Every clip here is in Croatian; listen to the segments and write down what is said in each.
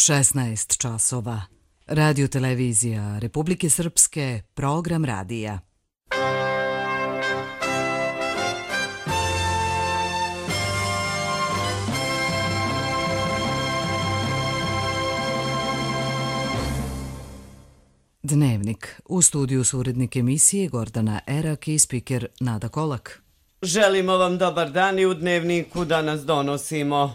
16 časova. Radio televizija Republike Srpske, program radija. Dnevnik. U studiju su urednik emisije Gordana Erak i spiker Nada Kolak. Želimo vam dobar dan i u Dnevniku danas donosimo.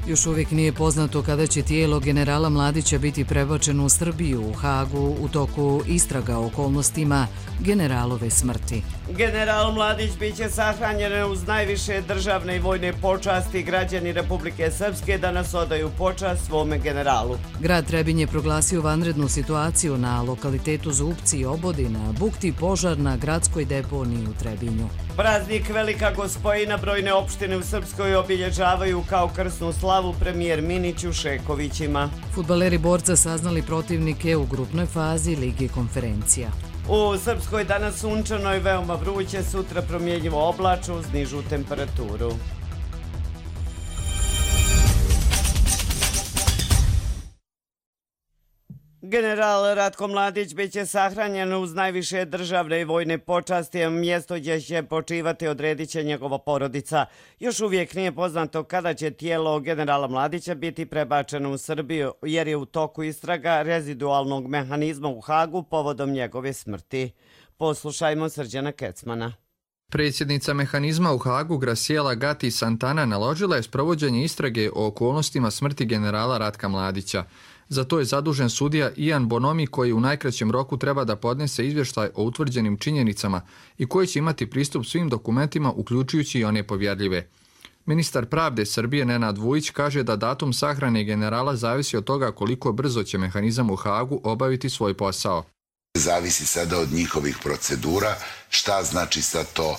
Još uvijek nije poznato kada će tijelo generala Mladića biti prebačeno u Srbiju, u Hagu, u toku istraga o okolnostima generalove smrti. General Mladić biće sahranjen uz najviše državne i vojne počasti. Građani Republike Srpske danas odaju počast svome generalu. Grad Trebinje je proglasio vanrednu situaciju na lokalitetu Zupci i Obodina, bukti požar na gradskoj deponiji u Trebinju. Praznik Velika Gospojina brojne opštine u Srpskoj obilježavaju kao krsnu slavu premijer Minić u Šekovićima. Fudbaleri Borca saznali protivnike u grupnoj fazi Lige konferencija. U Srpskoj danas sunčano i veoma vruće, sutra promjenjivo oblačno uz nižu temperaturu. General Ratko Mladić biće sahranjen uz najviše državne i vojne počasti, mjesto gdje će počivati odredit će njegova porodica. Još uvijek nije poznato kada će tijelo generala Mladića biti prebačeno u Srbiju, jer je u toku istraga rezidualnog mehanizma u Hagu povodom njegove smrti. Poslušajmo Srđana Kecmana. Predsjednica mehanizma u Hagu Graciela Gatti Santana naložila je sprovođenje istrage o okolnostima smrti generala Ratka Mladića. Za to je zadužen sudija Ian Bonomi koji u najkraćem roku treba da podnese izvještaj o utvrđenim činjenicama i koji će imati pristup svim dokumentima uključujući i one povjerljive. Ministar pravde Srbije Nenad Vujić kaže da datum sahrane generala zavisi od toga koliko brzo će mehanizam u Hagu obaviti svoj posao. Zavisi sada od njihovih procedura, šta znači sad to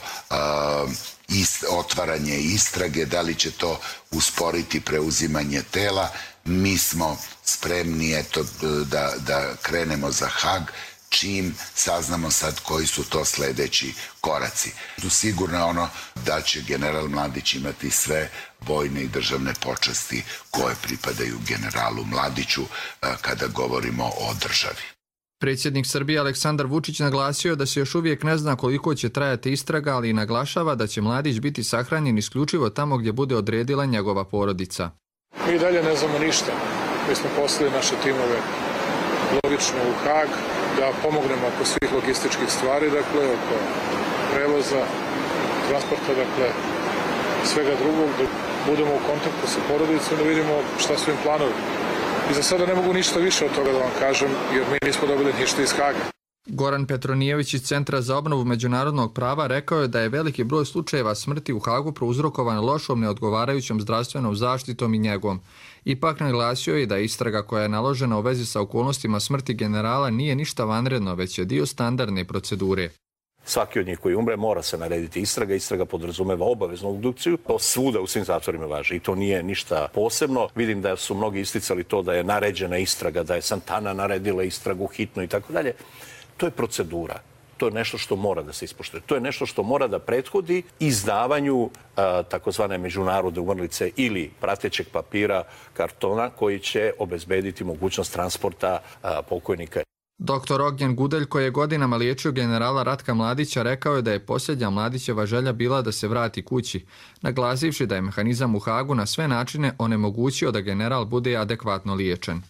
otvaranje istrage, da li će to usporiti preuzimanje tela. Mi smo spremni da krenemo za Hag čim saznamo sad koji su to sljedeći koraci. Sigurno je ono da će general Mladić imati sve vojne i državne počasti koje pripadaju generalu Mladiću kada govorimo o državi. Predsjednik Srbije Aleksandar Vučić naglasio da se još uvijek ne zna koliko će trajati istraga, ali i naglašava da će Mladić biti sahranjen isključivo tamo gdje bude odredila njegova porodica. Mi dalje ne znamo ništa. Mi smo poslali naše timove logično u Hag da pomognemo oko svih logističkih stvari, dakle, oko prevoza, transporta, dakle, svega drugog, da budemo u kontaktu sa porodicom, da vidimo šta su im planovi. I za sada ne mogu ništa više od toga da vam kažem, jer mi nismo dobili ništa iz Haga. Goran Petronijević iz Centra za obnovu međunarodnog prava rekao je da je veliki broj slučajeva smrti u Hagu prouzrokovan lošom neodgovarajućom zdravstvenom zaštitom i njegom. Ipak naglasio je da istraga koja je naložena u vezi sa okolnostima smrti generala nije ništa vanredno, već je dio standardne procedure. Svaki od njih koji umre mora se narediti istraga. Istraga podrazumeva obaveznu obdukciju. To svuda u svim zatvorima važi i to nije ništa posebno. Vidim da su mnogi isticali to da je naređena istraga, da je Santana naredila istragu hitno i tako dalje. To je procedura. To je nešto što mora da se ispoštuje. To je nešto što mora da prethodi izdavanju takozvane međunarodne umrlice ili pratećeg papira, kartona koji će obezbediti mogućnost transporta pokojnika. Dr. Ognjen Gudelj, koji je godinama liječio generala Ratka Mladića, rekao je da je posljednja Mladićeva želja bila da se vrati kući, naglasivši da je mehanizam u Hagu na sve načine onemogućio da general bude adekvatno liječen.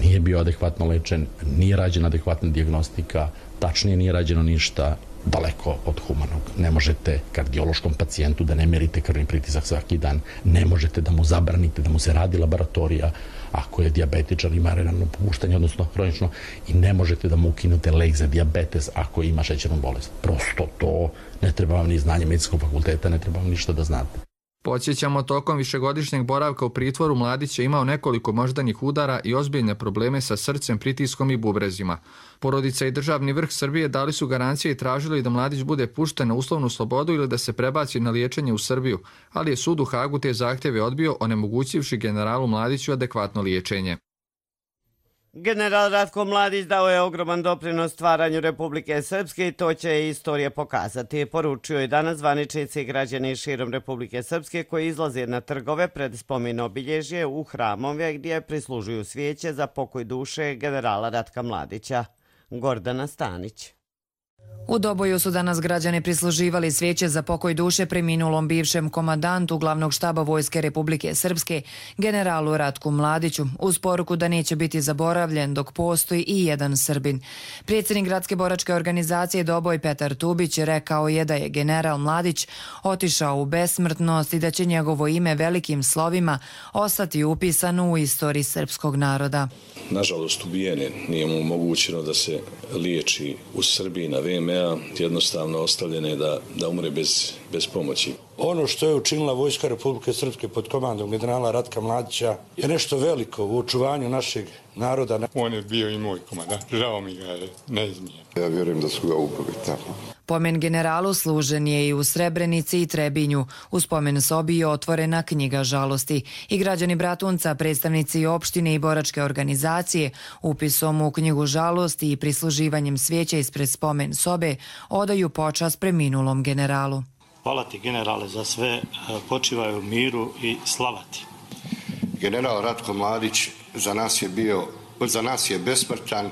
Nije bio adekvatno lečen, nije rađena adekvatna dijagnostika, tačnije nije rađeno ništa, daleko od humanog. Ne možete kardiološkom pacijentu da ne merite krvni pritisak svaki dan, ne možete da mu zabranite da mu se radi laboratorija ako je dijabetičar, ima renalno popuštanje, odnosno hronično, i ne možete da mu ukinute lek za dijabetes ako ima šećernu bolest. Prosto to ne treba vam ni znanje medicinskog fakulteta, ne treba vam ništa da znate. Podsjećamo, tokom višegodišnjeg boravka u pritvoru Mladić je imao nekoliko moždanih udara i ozbiljne probleme sa srcem, pritiskom i bubrezima. Porodica i državni vrh Srbije dali su garancije i tražili da Mladić bude pušten na uslovnu slobodu ili da se prebaci na liječenje u Srbiju, ali je sud u Hagu te zahtjeve odbio, onemogućivši generalu Mladiću adekvatno liječenje. General Ratko Mladić dao je ogroman doprinos stvaranju Republike Srpske i to će istorija pokazati. Poručio je danas zvaničnici i građani širom Republike Srpske koji izlaze na trgove pred spomen obilježje u hramove gdje prislužuju svijeće za pokoj duše generala Ratka Mladića. Gordana Stanić. U Doboju su danas građani prisluživali svijeće za pokoj duše preminulom bivšem komandantu glavnog štaba Vojske Republike Srpske, generalu Ratku Mladiću, uz poruku da neće biti zaboravljen dok postoji i jedan Srbin. Predsjednik gradske boračke organizacije Doboj Petar Tubić rekao je da je general Mladić otišao u besmrtnost i da će njegovo ime velikim slovima ostati upisano u istoriji srpskog naroda. Nažalost, ubijen je, nije mu omogućeno da se liječi u Srbiji na VMA, jednostavno ostavljen je da umre bez pomoći. Ono što je učinila Vojska Republike Srpske pod komandom generala Ratka Mladića je nešto veliko u očuvanju našeg naroda. On je bio i moj komandant, žao mi ga je neizmjerno. Ja vjerujem da su ga ubili tamo. Pomen generalu služen je i u Srebrenici i Trebinju. U spomen sobi je otvorena knjiga žalosti. I građani Bratunca, predstavnici opštine i boračke organizacije, upisom u knjigu žalosti i prisluživanjem svijeća ispred spomen sobe odaju počast preminulom generalu. Hvala ti, generale, za sve, počivaju u miru i slava ti. General Ratko Mladić za nas je besmrtan.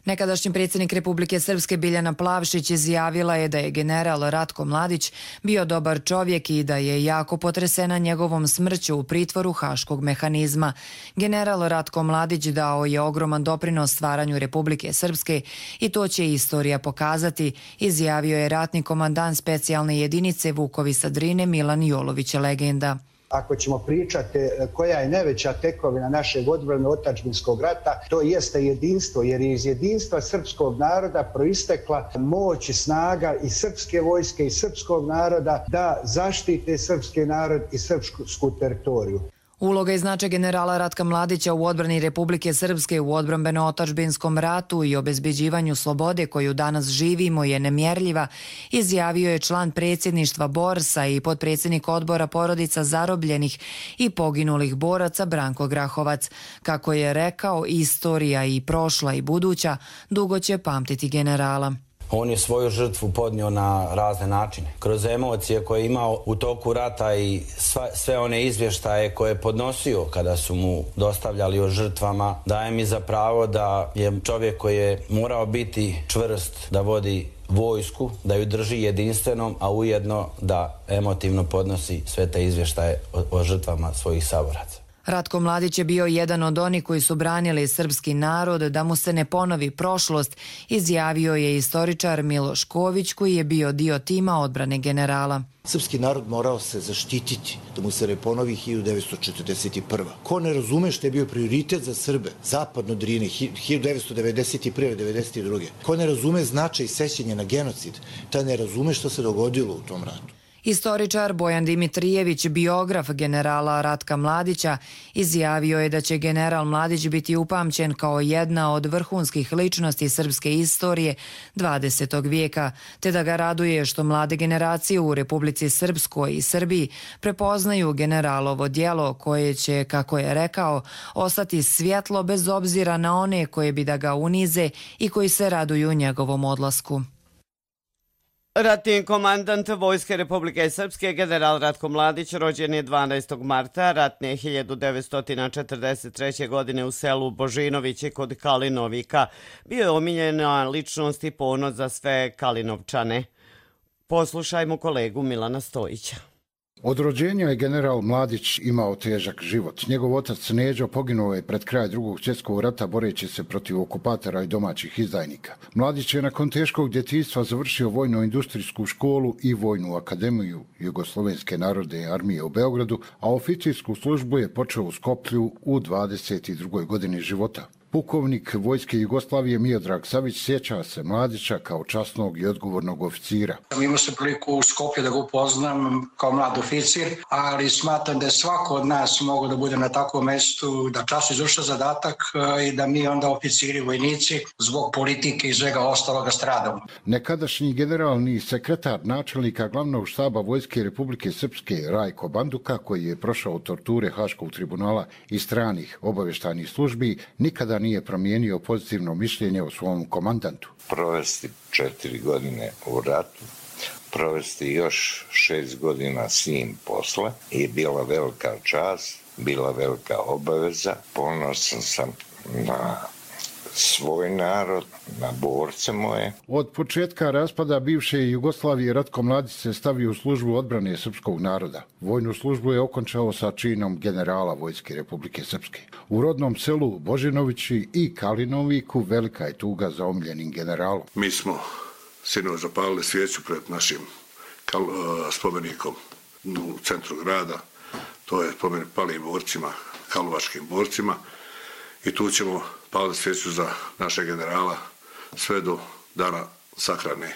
Nekadašnji predsjednik Republike Srpske Biljana Plavšić izjavila je da je general Ratko Mladić bio dobar čovjek i da je jako potresena njegovom smrću u pritvoru Haškog mehanizma. General Ratko Mladić dao je ogroman doprinos stvaranju Republike Srpske i to će istorija pokazati, izjavio je ratni komandant specijalne jedinice Vukovi sa Drine Milan Jolović, legenda. Ako ćemo pričati koja je najveća tekovina našeg odbrano-otadžbinskog rata, to jeste jedinstvo, jer je iz jedinstva srpskog naroda proistekla moć i snaga i srpske vojske i srpskog naroda da zaštite srpski narod i srpsku teritoriju. Uloga i značaj generala Ratka Mladića u odbrani Republike Srpske u odbrambeno-otadžbinskom ratu i obezbeđivanju slobode koju danas živimo je nemjerljiva, izjavio je član predsjedništva Borsa i potpredsjednik odbora porodica zarobljenih i poginulih boraca Branko Grahovac. Kako je rekao, istorija i prošla i buduća dugo će pamtiti generala. On je svoju žrtvu podnio na razne načine. Kroz emocije koje je imao u toku rata i sve one izvještaje koje je podnosio kada su mu dostavljali o žrtvama, daje mi za pravo da je čovjek koji je morao biti čvrst, da vodi vojsku, da ju drži jedinstvenom, a ujedno da emotivno podnosi sve te izvještaje o žrtvama svojih saboraca. Ratko Mladić je bio jedan od onih koji su branili srpski narod da mu se ne ponovi prošlost, izjavio je istoričar Miloš Ković koji je bio dio tima odbrane generala. Srpski narod morao se zaštititi da mu se ne ponovi 1941. Ko ne razume što je bio prioritet za Srbe, zapadno Drine, 1991. 1992. Ko ne razume značaj sećanja na genocid, taj ne razume što se dogodilo u tom ratu. Istoričar Bojan Dimitrijević, biograf generala Ratka Mladića, izjavio je da će general Mladić biti upamćen kao jedna od vrhunskih ličnosti srpske istorije 20. vijeka, te da ga raduje što mlade generacije u Republici Srpskoj i Srbiji prepoznaju generalovo djelo koje će, kako je rekao, ostati svjetlo bez obzira na one koje bi da ga unize i koji se raduju njegovom odlasku. Ratni komandant Vojske Republike Srpske, general Ratko Mladić, rođen je 12. marta ratne 1943. godine u selu Božinovići kod Kalinovika. Bio je omiljena ličnost i ponos za sve Kalinovčane. Poslušajmo kolegu Milana Stojića. Od rođenja je general Mladić imao težak život. Njegov otac Neđo poginuo je pred kraj Drugog svjetskog rata boreći se protiv okupatora i domaćih izdajnika. Mladić je nakon teškog djetinjstva završio vojno-industrijsku školu i vojnu akademiju Jugoslovenske narodne armije u Beogradu, a oficirsku službu je počeo u Skoplju u 22. godini života. Pukovnik Vojske Jugoslavije Miodrag Savić sjeća se Mladića kao časnog i odgovornog oficira. Imao sam priliku u Skoplju da ga upoznam kao mlad oficir, ali smatram da je svako od nas mogao da bude na takvom mjestu, da časno izvršava zadatak i da mi onda oficiri, vojnici, zbog politike i svega ostaloga stradamo. Nekadašnji generalni sekretar načelnika glavnog štaba Vojske Republike Srpske Rajko Banduka, koji je prošao torture Haškog tribunala i stranih obavještajnih službi, nikada puta nije promijenio pozitivno mišljenje o svom komandantu. Provesti 4 godine u ratu, provesti još 6 godina s njim posle je bila velika čast, bila velika obaveza. Ponosan sam na svoj narod, na borce moje. Od početka raspada bivše Jugoslavije Ratko Mladić se stavio u službu odbrane srpskog naroda. Vojnu službu je okončao sa činom generala Vojske Republike Srpske. U rodnom selu Božinovići i Kalinoviku velika je tuga za omiljenim generalom. Mi smo sinoć zapalili svijeću pred našim spomenikom u centru grada. To je spomenik palim borcima, karlovačkim borcima. I tu ćemo paliti svijeću za našeg generala sve do dana sahrane.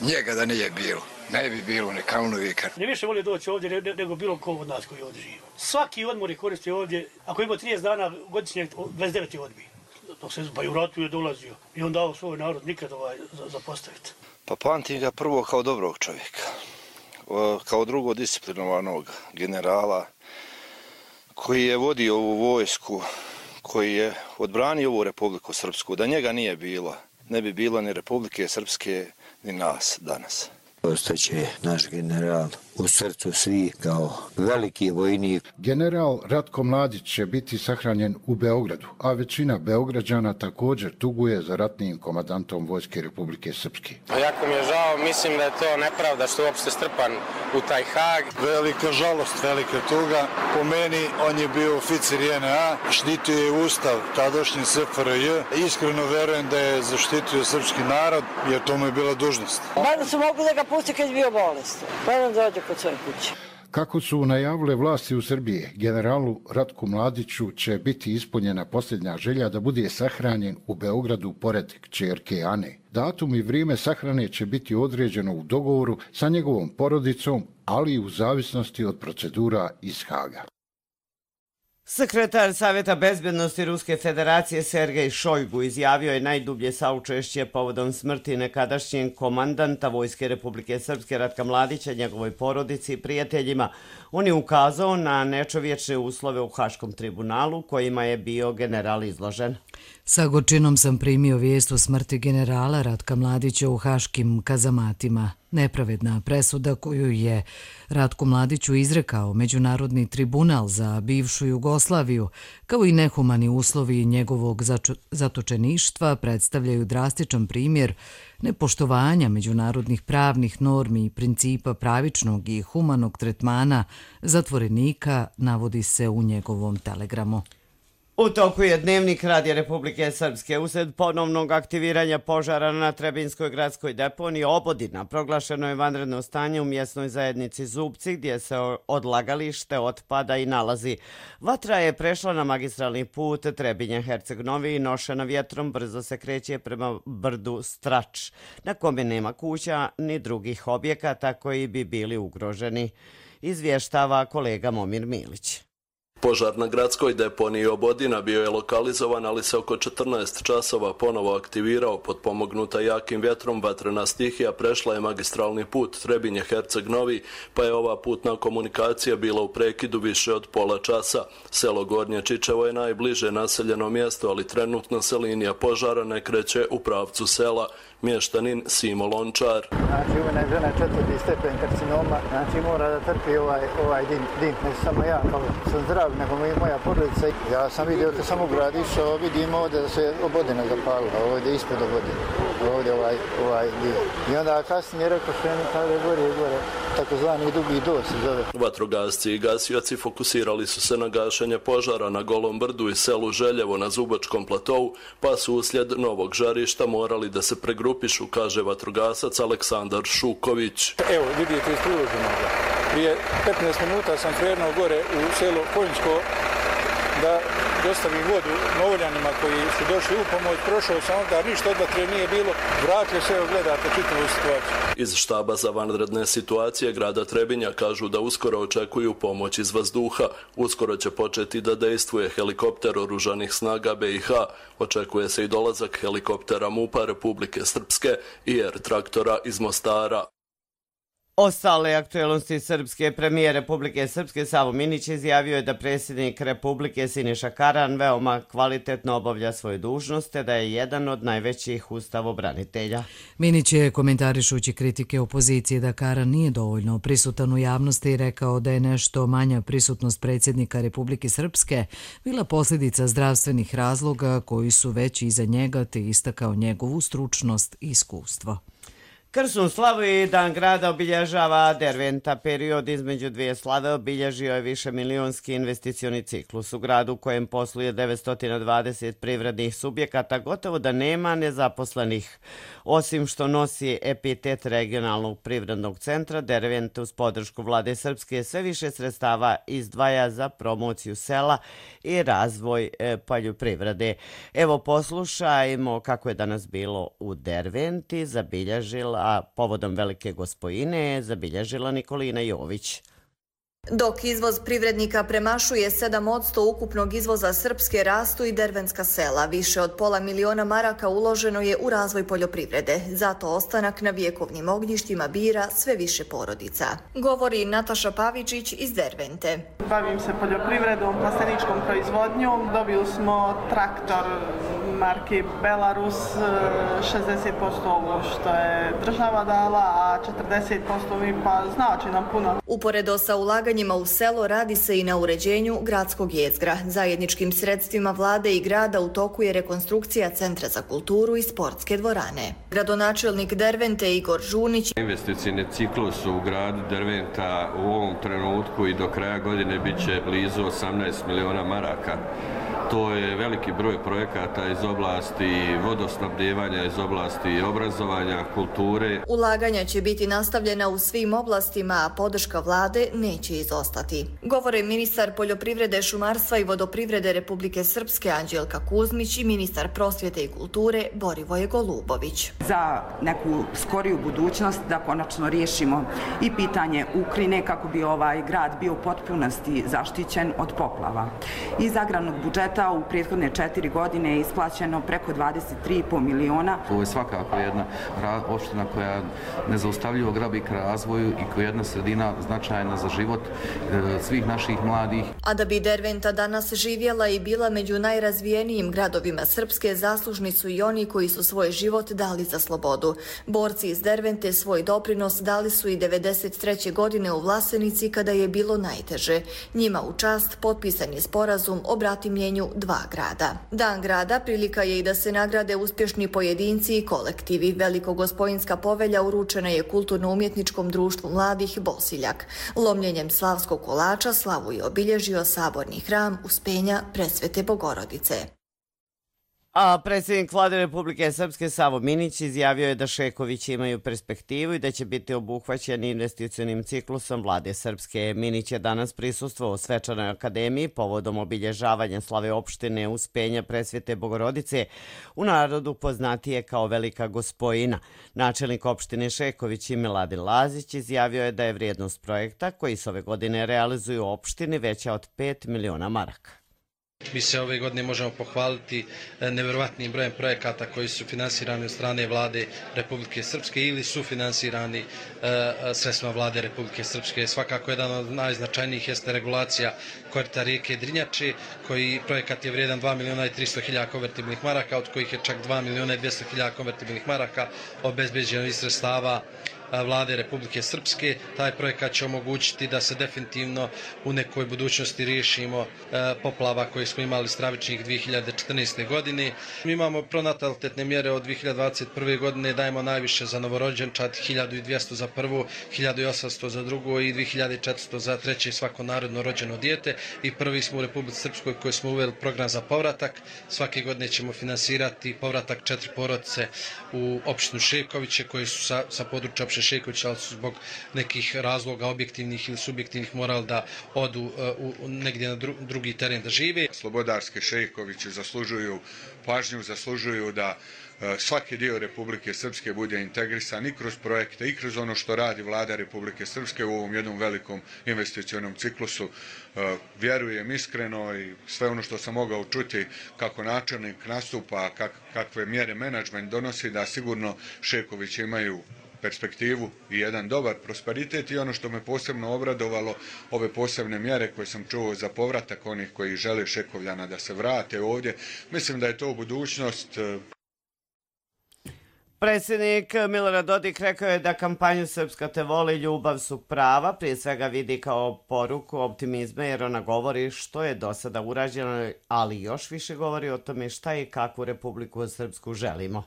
Njega da nije bilo, ne bi bilo ni Kalnovika. Ne više voli doći ovdje nego bilo ko od nas koji ovdje živi. Svaki odmor je koristio ovdje, ako ima 30 dana godišnje, 29 je odbio. Dok se pa i u ratu je dolazio i on dao svoj narod nikad zapostaviti. Pa pamtim ga prvo kao dobrog čovjeka, kao drugo disciplinovanog generala koji je vodio ovu vojsku, koji je odbranio ovu Republiku Srpsku. Da njega nije bilo, ne bi bilo ni Republike Srpske, ni nas danas. Ostaće naš general u srcu svih kao veliki vojnik. General Ratko Mladić će biti sahranjen u Beogradu, a većina Beograđana također tuguje za ratnim komandantom Vojske Republike Srpske. Jako mi je žao, mislim da je to nepravda što je uopšte strpan u taj Hag. Velika žalost, velika tuga. Po meni on je bio oficir JNA, štitio je ustav tadašnji SFRJ. Iskreno verujem da je zaštitio srpski narod, jer to mu je bila dužnost. Mada su mogli da ga pusti kad je bio bolestan. Pa nam dođe kod svoje kuće. Kako su najavile vlasti u Srbiji, generalu Ratku Mladiću će biti ispunjena posljednja želja da bude sahranjen u Beogradu pored kćerke Ane. Datum i vrijeme sahrane će biti određeno u dogovoru sa njegovom porodicom, ali i u zavisnosti od procedura iz Haga. Sekretar Savjeta bezbednosti Ruske federacije Sergej Šojgu izjavio je najdublje saučešće povodom smrti nekadašnjeg komandanta Vojske Republike Srpske Ratka Mladića, njegovoj porodici i prijateljima. On je ukazao na nečovječne uslove u Haškom tribunalu kojima je bio general izložen. Sa gorčinom sam primio vijest o smrti generala Ratka Mladića u haškim kazamatima. Nepravedna presuda koju je Ratku Mladiću izrekao Međunarodni tribunal za bivšu Jugoslaviju, kao i nehumani uslovi njegovog zatočeništva, predstavljaju drastičan primjer nepoštovanja međunarodnih pravnih normi i principa pravičnog i humanog tretmana zatvorenika, navodi se u njegovom telegramu. U toku je Dnevnik Radija Republike Srpske. Usred ponovnog aktiviranja požara na Trebinskoj gradskoj deponiji Obodina proglašeno je vanredno stanje u mjesnoj zajednici Zubci gdje se odlagalište otpada i nalazi. Vatra je prešla na magistralni put Trebinje-Herceg-Novi i nošena vjetrom brzo se kreće prema brdu Strač, na kome nema kuća ni drugih objekata koji bi bili ugroženi, izvještava kolega Momir Milić. Požar na gradskoj deponiji Obodina bio je lokalizovan, ali se oko 14 časova ponovo aktivirao. Potpomognuta jakim vjetrom, vatrena stihija prešla je magistralni put Trebinje-Herceg-Novi, pa je ova putna komunikacija bila u prekidu više od pola časa. Selo Gornje Čičevo je najbliže naseljeno mjesto, ali trenutno se linija požara ne kreće u pravcu sela. Mještanin Simo Lončar. Znači, uvijena je žena 4. stepen karcinoma, znači mora da trpi ovaj dim. Ne samo ja, kao sam zdrav, nego i moja porodica. Ja sam vidio kad sam u grad išao, vidim ovdje da se Obodina zapalila, ovdje ispod Obodina, ovdje ovaj dio. I onda kasnije rekao što je nekada gore, takozvani dugi dos se zove. Vatrogasci i gasioci fokusirali su se na gašenje požara na Golom brdu i selu Željevo na Zubačkom platovu, pa su uslijed novog žarišta morali da se pregrupišu, kaže vatrogasac Aleksandar Šuković. Evo, vidite iz priloženog. Prije 15 minuta sam krenuo gore u selo Konjsko da dostavim vodu Novoljanima koji su došli u pomoć. Prošao sam onda, ništa od vatre nije bilo. Vratio se, evo gledate čitavu situaciju. Iz štaba za vanredne situacije grada Trebinja kažu da uskoro očekuju pomoć iz vazduha. Uskoro će početi da dejstvuje helikopter oružanih snaga BiH. Očekuje se i dolazak helikoptera MUP-a Republike Srpske i R traktora iz Mostara. Ostale aktualnosti srpske premijer Republike Srpske Savo Minić izjavio je da predsjednik Republike Siniša Karan veoma kvalitetno obavlja svoje dužnosti, da je jedan od najvećih ustavobranitelja. Minić je komentarišući kritike opozicije da Karan nije dovoljno prisutan u javnosti i rekao da je nešto manja prisutnost predsjednika Republike Srpske bila posljedica zdravstvenih razloga koji su već iza njega, te istakao njegovu stručnost i iskustvo. Krsnu slavu i Dan grada obilježava Derventa. Period između dvije slave obilježio je višemilionski investicioni ciklus. U gradu u kojem posluje 920 privrednih subjekata gotovo da nema nezaposlenih. Osim što nosi epitet regionalnog privrednog centra, Derventa uz podršku vlade Srpske sve više sredstava izdvaja za promociju sela i razvoj poljoprivrede. Evo poslušajmo kako je danas bilo u Derventi, zabilježila a povodom Velike Gospojine zabilježila Nikolina Jović. Dok izvoz privrednika premašuje 7% ukupnog izvoza Srpske, rastu i dervenska sela. Više od $500.000 maraka uloženo je u razvoj poljoprivrede. Zato ostanak na vjekovnim ognjištima bira sve više porodica. Govori Nataša Pavičić iz Dervente. Bavim se poljoprivredom, plasteničkom proizvodnjom. Dobili smo traktor marke Belarus, 60% ovo što je država dala, a 40% mi pa znači nam puno. Uporedo sa ulaganjima u selo radi se i na uređenju gradskog jezgra. Zajedničkim sredstvima vlade i grada u toku je rekonstrukcija Centra za kulturu i sportske dvorane. Gradonačelnik Dervente Igor Žunić. Investicijni ciklus u gradu Derventa u ovom trenutku i do kraja godine bit će blizu 18 miliona maraka. To je veliki broj projekata iz oblasti vodosnabdjevanja, iz oblasti obrazovanja, kulture. Ulaganja će biti nastavljena u svim oblastima, a podrška vlade neće izostati. Govore ministar poljoprivrede, šumarstva i vodoprivrede Republike Srpske Anđelka Kuzmić i ministar prosvjete i kulture Borivoje Golubović. Za neku skoriju budućnost da konačno riješimo i pitanje Ukrajine kako bi ovaj grad bio u potpunosti zaštićen od poplava. Iz agrarnog budžeta u prethodne 4 godine je isplaćeno preko 23,5 miliona. Ovo je svakako jedna opština koja nezaustavljivo grabi k razvoju i koja je jedna sredina značajna za život svih naših mladih. A da bi Derventa danas živjela i bila među najrazvijenijim gradovima Srpske, zaslužni su i oni koji su svoj život dali za slobodu. Borci iz Dervente svoj doprinos dali su i 93. godine u Vlasenici kada je bilo najteže. Njima u čast potpisan je sporazum o bratimljenju dva grada. Dan grada prilika je i da se nagrade uspješni pojedinci i kolektivi. Velikogospojinska povelja uručena je Kulturno-umjetničkom društvu mladih Bosiljak. Lomljenjem slavskog kolača slavu je obilježio saborni hram Uspenja Presvete Bogorodice. A predsjednik vlade Republike Srpske Savo Minić izjavio je da Šekovići imaju perspektivu i da će biti obuhvaćeni investicionim ciklusom vlade Srpske. Minić je danas prisustvovao svečanoj akademiji povodom obilježavanja slave opštine Uspenja Presvete Bogorodice, u narodu poznatije kao Velika Gospojina. Načelnik opštine Šeković i Miladin Lazić izjavio je da je vrijednost projekta koji se ove godine realizuju u opštini veća od 5 miliona maraka. Mi se ove godine možemo pohvaliti nevjerovatnim brojem projekata koji su finansirani od strane vlade Republike Srpske ili su finansirani sredstvima vlade Republike Srpske. Svakako jedan od najznačajnijih jeste regulacija korita rijeke Drinjače, koji projekat je vrijedan 2.300.000 konvertibilnih maraka, od kojih je čak 2.200.000 konvertibilnih maraka obezbeđeno iz sredstava vlade Republike Srpske. Taj projekat će omogućiti da se definitivno u nekoj budućnosti riješimo poplava koje smo imali stravičnih 2014. godine. Mi imamo pronatalitetne mjere od 2021. godine, dajemo najviše za novorođenčad, 1.200 za prvo, 1.800 za drugo i 2.400 za treće svako narodno rođeno dijete. I prvi smo u Republici Srpskoj koji smo uveli program za povratak. Svake godine ćemo finansirati povratak 4 porodice u opštinu Šekoviće koji su sa područja opštine Šekovića, ali su zbog nekih razloga objektivnih ili subjektivnih morali da odu negdje na drugi teren da žive. Slobodarski Šekovići zaslužuju pažnju, zaslužuju da svaki dio Republike Srpske bude integrisan i kroz projekte i kroz ono što radi vlada Republike Srpske u ovom jednom velikom investicionom ciklusu. Vjerujem iskreno i sve ono što sam mogao čuti kako načelnik nastupa, kakve mjere menadžment donosi, da sigurno Šekovići imaju perspektivu i jedan dobar prosperitet i ono što me posebno obradovalo, ove posebne mjere koje sam čuo za povratak onih koji žele Šekovljana da se vrate ovdje. Mislim da je to budućnost. Predsjednik Milorad Dodik rekao je da kampanju Srpska te voli, ljubav su prava, prije svega vidi kao poruku optimizma jer ona govori što je do sada urađeno, ali još više govori o tome šta i kakvu Republiku Srpsku želimo.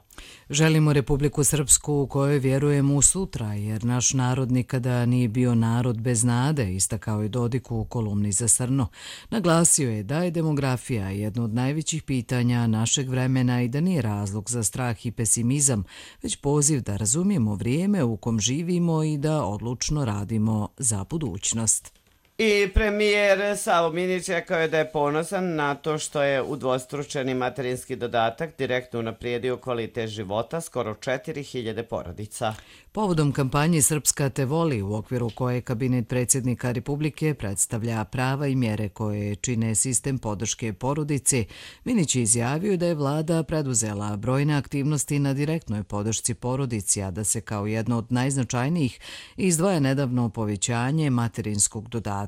Želimo Republiku Srpsku u kojoj vjerujemo u sutra, jer naš narod nikada nije bio narod bez nade, istakao je Dodik u kolumni za Srno. Naglasio je da je demografija jedno od najvećih pitanja našeg vremena i da nije razlog za strah i pesimizam, već poziv da razumijemo vrijeme u kom živimo i da odlučno radimo za budućnost. I premijer Savo Minić rekao je da je ponosan na to što je udvostručeni materinski dodatak direktno unaprijedio kvalitet života skoro 4000 porodica. Povodom kampanje Srpska te voli, u okviru koje kabinet predsjednika Republike predstavlja prava i mjere koje čine sistem podrške porodici, Minić je izjavio da je vlada preduzela brojne aktivnosti na direktnoj podršci porodici, a da se kao jedno od najznačajnijih izdvaja nedavno povećanje materinskog dodatka.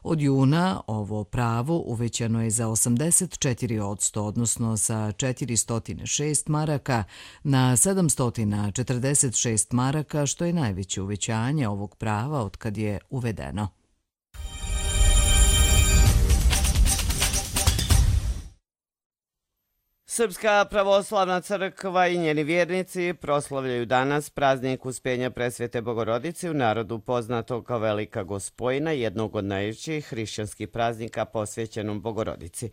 Od juna ovo pravo uvećano je za 84%, odnosno sa 406 maraka na 746 maraka, što je najveće uvećanje ovog prava od kad je uvedeno. Srpska pravoslavna crkva i njeni vjernici proslavljaju danas praznik Uspenja Presvete Bogorodice, u narodu poznato kao Velika Gospojna, jednog od najvećih hrišćanskih praznika posvećenom Bogorodici.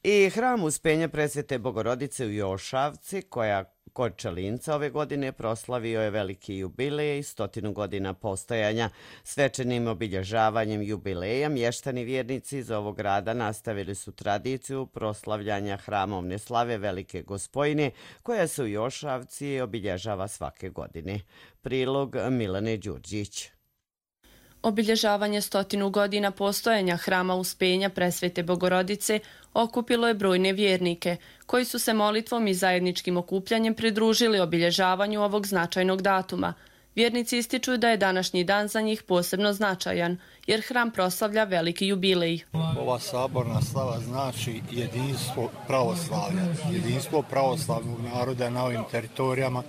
I hram Uspenja Presvete Bogorodice u Jošavci, koja kod Čelinca ove godine proslavio je veliki jubilej, 100 godina postojanja. Svečanim obilježavanjem jubileja mještani vjernici iz ovog grada nastavili su tradiciju proslavljanja hramovne slave Velike Gospojne, koja se u Jošavci obilježava svake godine. Prilog Milane Đurđić. Obilježavanje 100 godina postojanja hrama Uspenja Presvete Bogorodice okupilo je brojne vjernike, koji su se molitvom i zajedničkim okupljanjem pridružili obilježavanju ovog značajnog datuma. Vjernici ističu da je današnji dan za njih posebno značajan, jer hram proslavlja veliki jubilej. Ova saborna slava znači jedinstvo pravoslavlja, jedinstvo pravoslavnog naroda na ovim teritorijama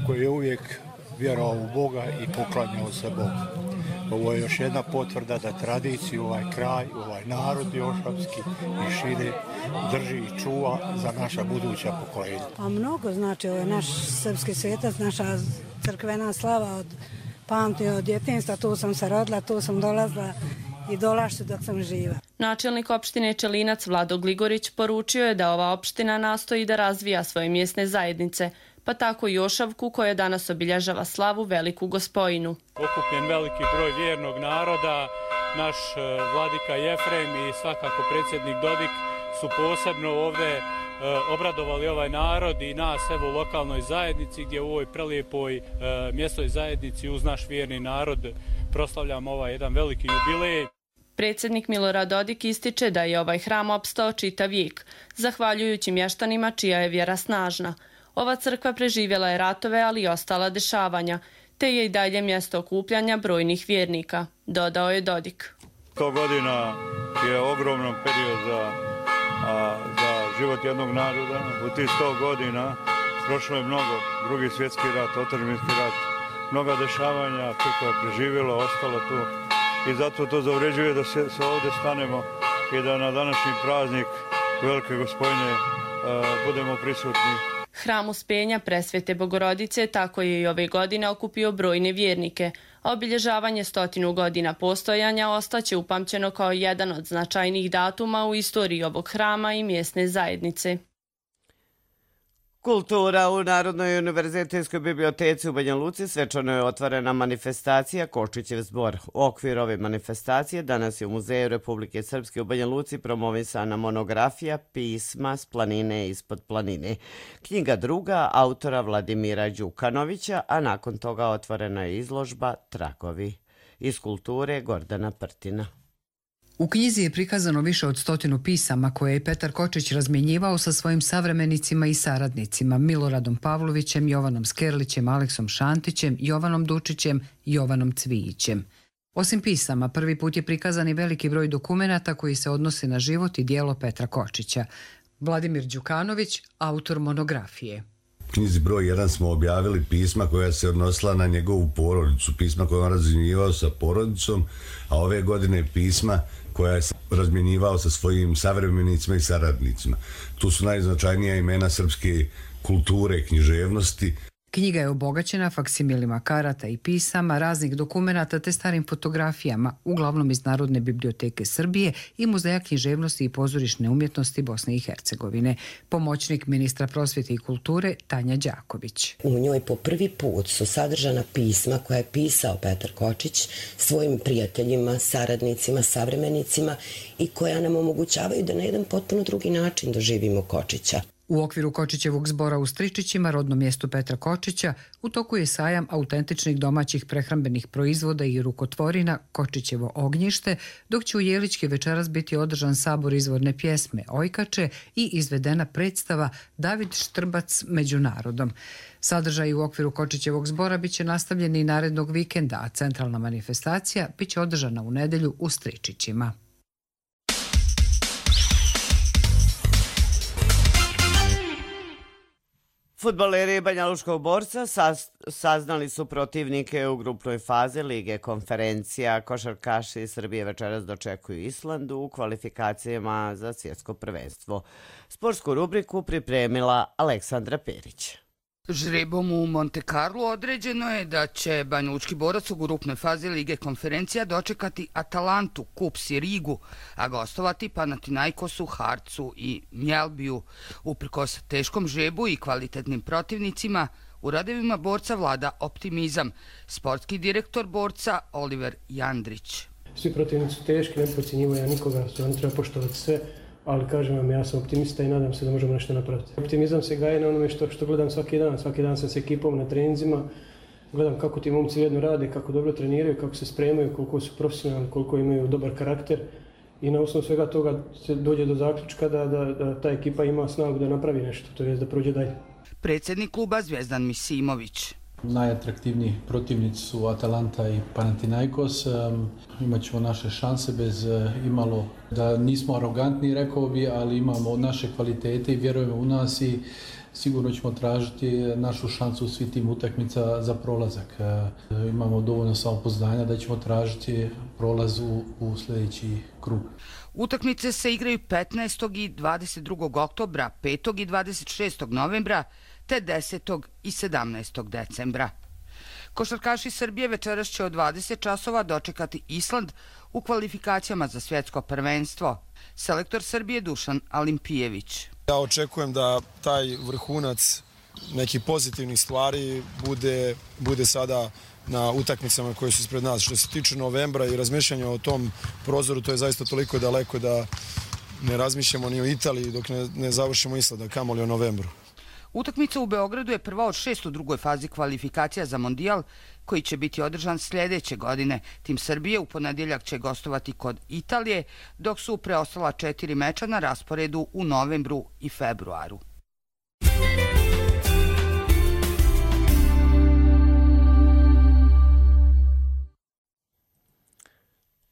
koji je uvijek vjerovao u Boga i poklanjao se Bogu. Ovo je još jedna potvrda da tradiciju ovaj kraj, ovaj narod jošavski i šire drži i čuva za naša buduća pokoljenja. Pa mnogo znači, ovo je naš srpski svetac, naša crkvena slava od pamti, od djetinjstva, tu sam se rodila, tu sam dolazila i dolašću dok sam živa. Načelnik opštine Čelinac Vlado Gligorić poručio je da ova opština nastoji da razvija svoje mjesne zajednice, pa tako i Jošavku koja danas obilježava slavu Veliku Gospojinu. Okupljen veliki broj vjernog naroda, naš vladika Jefrem i svakako predsjednik Dodik su posebno ovdje obradovali ovaj narod i nas evo u lokalnoj zajednici gdje u ovoj prelijepoj mjesnoj zajednici uz naš vjerni narod proslavljamo ovaj jedan veliki jubilej. Predsjednik Milorad Dodik ističe da je ovaj hram opstao čitav vijek, zahvaljujući mještanima čija je vjera snažna. Ova crkva preživjela je ratove, ali i ostala dešavanja, te je i dalje mjesto okupljanja brojnih vjernika, dodao je Dodik. 100 godina je ogroman period za život jednog naroda. U tih 100 godina prošlo je mnogo, Drugi svjetski rat, otadžbinski rat, mnoga dešavanja, crkva je preživjela, ostala tu. I zato to zavređuje da se ovdje stanemo i da na današnji praznik Velike Gospojne budemo prisutni. Hram Uspenja Presvete Bogorodice tako je i ove godine okupio brojne vjernike, a obilježavanje 100 godina postojanja ostaće upamćeno kao jedan od značajnijih datuma u istoriji ovog hrama i mjesne zajednice. Kultura u Narodnoj univerzitetskoj biblioteci u Banja Luci svečano je otvorena manifestacija Kočićev zbor. U okviru ove manifestacije danas je u Muzeju Republike Srpske u Banja Luci promovisana monografija Pisma s planine ispod planine. Knjiga druga autora Vladimira Đukanovića, a nakon toga otvorena je izložba Tragovi. Iz kulture Gordana Prtina. U knjizi je prikazano više od 100 pisama koje je Petar Kočić razmjenjivao sa svojim savremenicima i saradnicima Miloradom Pavlovićem, Jovanom Skerlićem, Aleksom Šantićem, Jovanom Dučićem i Jovanom Cvijićem. Osim pisama, prvi put je prikazan i veliki broj dokumenata koji se odnose na život i dijelo Petra Kočića. Vladimir Đukanović, autor monografije. U knjizi broj 1 smo objavili pisma koja se odnosila na njegovu porodicu, pisma koje on razmjenjivao sa porodicom, a ove godine pisma koja je razmjenjivao sa svojim savremenicima i saradnicima. Tu su najznačajnija imena srpske kulture i književnosti. Knjiga je obogaćena faksimilima karata i pisama, raznih dokumenata te starim fotografijama, uglavnom iz Narodne biblioteke Srbije i Muzeja književnosti i pozorišne umjetnosti Bosne i Hercegovine. Pomoćnik ministra prosvjete i kulture Tanja Đaković. U njoj po prvi put su sadržana pisma koja je pisao Petar Kočić svojim prijateljima, saradnicima, savremenicima i koja nam omogućavaju da na jedan potpuno drugi način doživimo Kočića. U okviru Kočićevog zbora u Stričićima, rodnom mjestu Petra Kočića, u toku je sajam autentičnih domaćih prehrambenih proizvoda i rukotvorina Kočićevo ognjište, dok će u Jelički večeras biti održan sabor izvorne pjesme Ojkače i izvedena predstava David Štrbac među narodom. Sadržaj u okviru Kočićevog zbora biće nastavljeni i narednog vikenda, a centralna manifestacija biće održana u nedjelju u Stričićima. Fudbaleri Banja Lučkog Borca saznali su protivnike u grupnoj fazi Lige konferencija. Košarkaši Srbije večeras dočekuju Islandu u kvalifikacijama za svjetsko prvenstvo. Sportsku rubriku pripremila Aleksandra Perić. Žrebom u Monte Carlo određeno je da će Banja Lučki Borac u grupnoj fazi Lige konferencija dočekati Atalantu, Kups i Rigu, a gostovati Panathinaikosu, Harcu i Mjelbiju. Uprkos teškom žrebu i kvalitetnim protivnicima, u radevima Borca vlada optimizam. Sportski direktor Borca Oliver Jandrić. Svi protivnici su teški, ne podcjenjivo ja nikoga, stvarno treba poštovati sve. Ali kažem vam, ja sam optimista i nadam se da možemo nešto napraviti. Optimizam se gaje na onome što gledam svaki dan. Svaki dan sam s ekipom na treninzima, gledam kako ti momci jedno rade, kako dobro treniraju, kako se spremaju, koliko su profesionalni, koliko imaju dobar karakter. I na osnovu svega toga se dođe do zaključka da ta ekipa ima snagu da napravi nešto, to je da prođe dalje. Predsjednik kluba Zvjezdan Misimović. Najatraktivniji protivnici su Atalanta i Panathinaikos. Imaćemo naše šanse bez imalo da nismo arogantni, rekao bi, ali imamo naše kvalitete i vjerujemo u nas i sigurno ćemo tražiti našu šansu u svim tim utakmica za prolazak. Imamo dovoljno samopouzdanja da ćemo tražiti prolaz u sljedeći krug. Utakmice se igraju 15. i 22. oktobra, 5. i 26. novembra, te 10. i 17. decembra. Košarkaši Srbije večeras će od 20 časova dočekati Island u kvalifikacijama za svjetsko prvenstvo. Selektor Srbije Dušan Alimpijević. Ja očekujem da taj vrhunac nekih pozitivnih stvari bude sada na utakmicama koje su ispred nas. Što se tiče novembra i razmišljanja o tom prozoru, to je zaista toliko daleko da ne razmišljamo ni o Italiji dok ne završimo Islanda, kamoli o novembru. Utakmica u Beogradu je prva od 6 u drugoj fazi kvalifikacija za Mondijal, koji će biti održan sljedeće godine. Tim Srbije u ponedjeljak će gostovati kod Italije, dok su preostala 4 meča na rasporedu u novembru i februaru.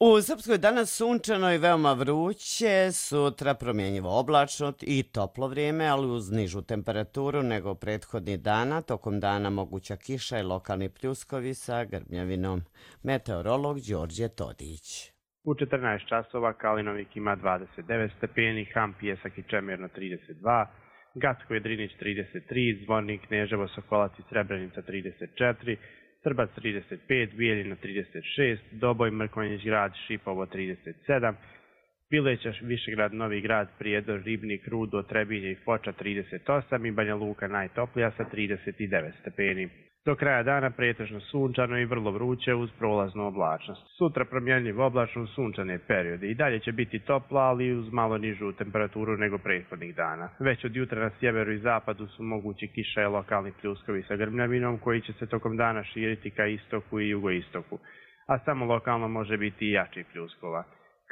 U Srpskoj danas sunčano i veoma vruće, sutra promjenjivo oblačno i toplo vrijeme, ali uz nižu temperaturu nego prethodnih dana. Tokom dana moguća kiša i lokalni pljuskovi sa grmljavinom. Meteorolog Đorđe Todić. U 14 časova Kalinovik ima 29 stepeni, Ham, Pijesak i Čemirno 32, Gacko Jedrinić 33, Zvornik, Kneževo, Sokolac i Srebrenica 34, Trbac 35, Bijeljina 36, Doboj, Mrkonjić grad, Šipovo 37, Pileća, Višegrad, Novi grad, Prijedor, Ribnik, Rudo, Trebinje i Foča 38 i Banja Luka najtoplija sa 39 stepeni. Do kraja dana pretežno sunčano i vrlo vruće uz prolaznu oblačnost. Sutra promjenljivo oblačno sunčane periode. I dalje će biti toplo, ali uz malo nižu temperaturu nego prethodnih dana. Već od jutra na sjeveru i zapadu su mogući kiša i lokalni pljuskovi sa grmljavinom koji će se tokom dana širiti ka istoku i jugoistoku, a samo lokalno može biti i jači pljuskova.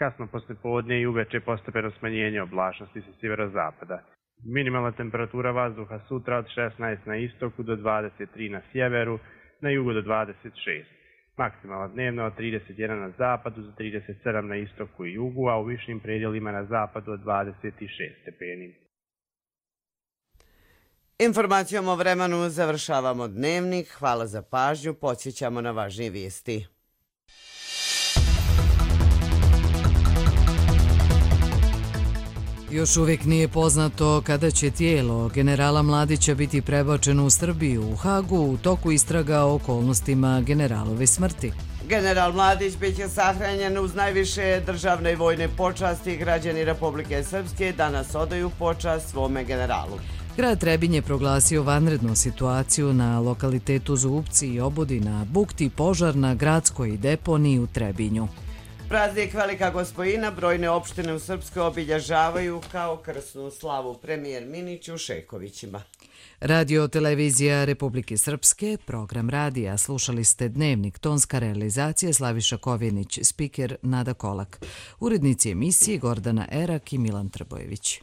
kasno poslijepodne i uveče postepeno smanjenje oblačnosti sa sjeverozapada. Minimalna temperatura vazduha sutra od 16 na istoku do 23 na sjeveru, na jugu do 26. Maksimalna dnevna od 31 na zapadu do 37 na istoku i jugu, a u višim predjelima na zapadu od 26 stepeni. Informacijom o vremenu završavamo dnevnik. Hvala za pažnju. Podsjećamo na važnije vijesti. Još uvijek nije poznato kada će tijelo generala Mladića biti prebačeno u Srbiju. U Hagu u toku istraga o okolnostima generalove smrti. General Mladić biće sahranjen uz najviše državne i vojne počasti. Građani Republike Srpske danas odaju počast svome generalu. Grad Trebinje je proglasio vanrednu situaciju na lokalitetu Zubci i Obodina, bukti požar na gradskoj deponiji u Trebinju. Praznik Velika Gospojina brojne opštine u Srpskoj obilježavaju kao krsnu slavu. Premijer Minić u Šejkovićima. Radio televizija Republike Srpske, program radija. Slušali ste Dnevnik, tonska realizacija Slaviša Kovjenić, spiker Nada Kolak. Urednici emisije Gordana Erak i Milan Trbojević.